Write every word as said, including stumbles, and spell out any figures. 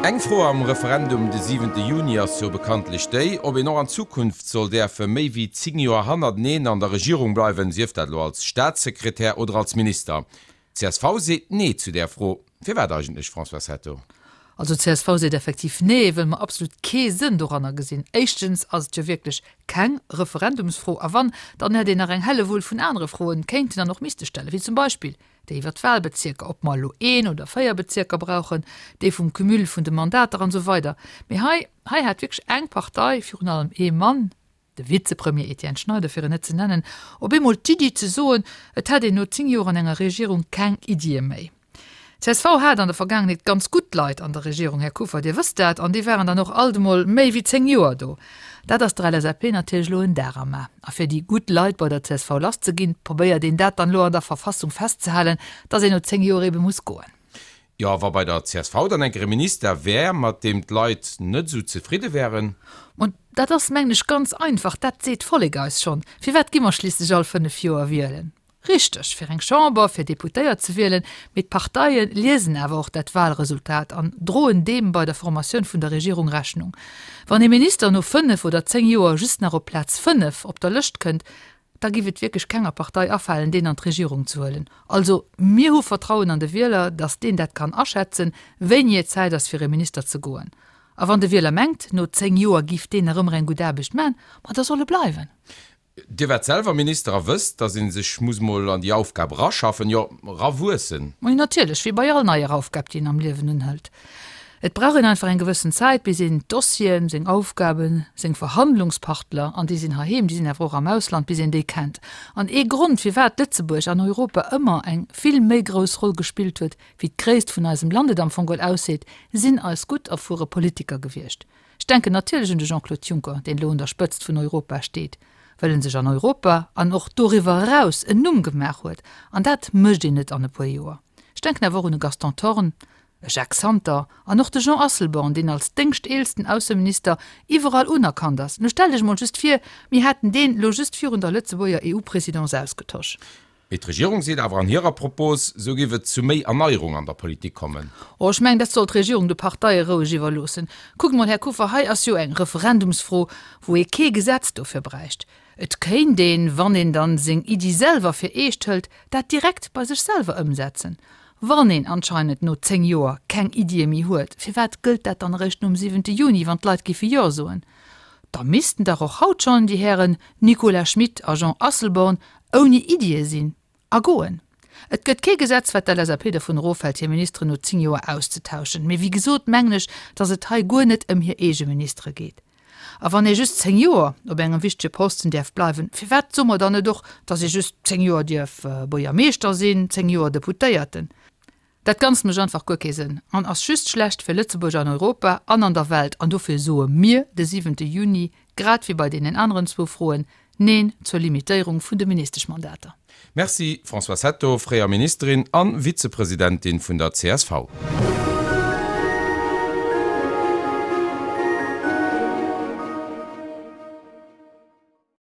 Eng Fro am Referendum de siwente Juni ass jo bekanntlech déi, ob een och an Zukunft soll däerfe méi wéi zéng Joer hannerteneen an der Regierung bleiwen, sief dat elo als Staatssekretär oder als Minister. Csv seet Nee zu där Fro. Firwat eigentlech, Françoise Hetto? Also csv seet effektiv Nee, wëll mer absolut kee Sënn doranner gesinn. Éischtens ass et jo wierklech keng Referendumsfro, a wann, dann hätt een nach eng Hellewull vun anere Froen kéinten an och misste stellen, wéi zum Beispill déi iwwer d'Wahlbezierker, ob mer elo een oder véier Bezierker brauchen, déi vum Cumul vun de Mandater an esou weider. Mee hei, hei hat wierklech eng Partei, virun allem ee Mann, de Vizepremier Etienne Schneider fir en net ze nennen, op eemol d'Iddi ze soen, et hätt een no zéng Joer an enger Regierung keng Iddie méi. Csv hat an der Vergaangenheet ganz gutt Leit an der Regierung, Här Kuffer, Dir wësst dat, an déi waren dann och alt emol méi wéi zéng Joer do. Dat ass der LSAP natierlech elo en Dar am A. A fir déi gutt Leit bei der csv lasszeginn, probéiert een dat dann elo an der Verfassung festzehalen, dass een no zéng Joer ebe muss goen. Jo, wa bei der csv dann enker e Minister wär, mat deem d'Leit net esou zefridde wären? Ma dat ass, mengen ech, ganz einfach, dat seet d'Vollek eis schonn. Firwat gi mer schliisslech all fënnef Joer wielen? Richteg, fir eng Chamber, fir Deputéiert ze wielen, mee d'Parteie liesen awer och dat Wahlresultat an droen deem bei der Formatioun vun der Regierung Rechnung. Wann ee Minister no fënnef oder zéng Joer just nach op Plaz fënnef op der Lëscht kënnt, da giff et wierklech kenger Partei afalen, deen an d'Regierung ze huelen. Also, mir hu Vertrauen an de Wieler, datt deen dat kann aschätzen, wéini et Zäit ass, fir e Minister ze goen. A wann de Wieler mengt, no zéng Joer giff deen nach ëmmer eng gutt Aarbecht man, ma da soll e bleiwen. Dir waart selwer Minister a wësst, datt ee sech muss mol an déi Aufgab eraschaffen, jo, erawuessen. Majo, natierlech, wéi bei all neier Aufgab, déi een am Liewen unhëlt. Et brauch een einfach eng gewëssen Zäit, bis een d'Dossieren, seng Aufgaben, seng Verhandlungspartler, an déi sinn heiheem, déi sinn awer och am Ausland, bis een déi kennt. An ee Grond, firwat Lëtzebuerg an Europa ëmmer eng vill méi grouss Roll gespillt huet, wéi d'Gréisst vun eisem Land et am Fong geholl ausseet, sinn eis gutt erfuere Politiker gewiescht. Ech denken natierlech un de Jean-Claude Juncker, deen elo un der Spëtzt vun Europa steet, well en sech an Europa an och doriwwer eraus en Numm gemaach huet, an dat mécht een net an e puer Joer. Ech denken awer och un e Gaston Thorn, e Jacques Santer an och de Jean Asselborn, deen als déngschteelsten Ausseminister iwwerall unerkannt ass. Lo stellt Iech mol just vir, mir hätten deen lo just virun der Lëtzebuerger EU-Présidence ausgetosch. Mee d'Regierung seet awer an hirer Propos, esou géif et zu méi Erneierung an der Politik kommen. Oh, ech mengen, dat soll d'Regierung de Parteie roueg iwwerloossen. Kuckt mol, Här Kuffer, hei ass jo eng Referendumsfro, wou ee kee Gesetz dofir bräicht. Et kéint een, wann een dann seng Iddi selwer fir eescht hëlt, dat direkt bei sech selwer ëmsetzen. Wann een anscheinend no zéng Joer keng Iddie méi huet, firwat gëllt dat dann eréischt nom siwente Juni, wann d'Leit géife Jo soen? Da missten dach och haut schonn déi Hären Nicolas Schmit a Jean Asselborn ouni Iddie sinn a goen. Et gëtt kee Gesetz, wat d'LSAP dervun erofhält, hir Ministeren no zéng Joer auszetauschen. Mee wéi gesot mengen ech, datt et hei guer net ëm hir eege Ministere geet. A wann ee just zéng Joer op engem wichtege Posten däerf bleiwen, firwat soe mer dann net och, datt ee just zéng Joer dierf Buergermeeschter sinn, zéng Joer Deputéierten? Dat Ganzt mécht einfach guer kee Sënn an ass just schlecht fir Lëtzebuerg an Europa an an der Welt. An dofir soe mir de siwente Juni, grad wéi bei deenen aneren zwou Froen, Neen zur Limitéierung vun de Ministeschmandater. Merci Françoise Hetto, fréier Ministerin a Vizepresidentin vun der csv.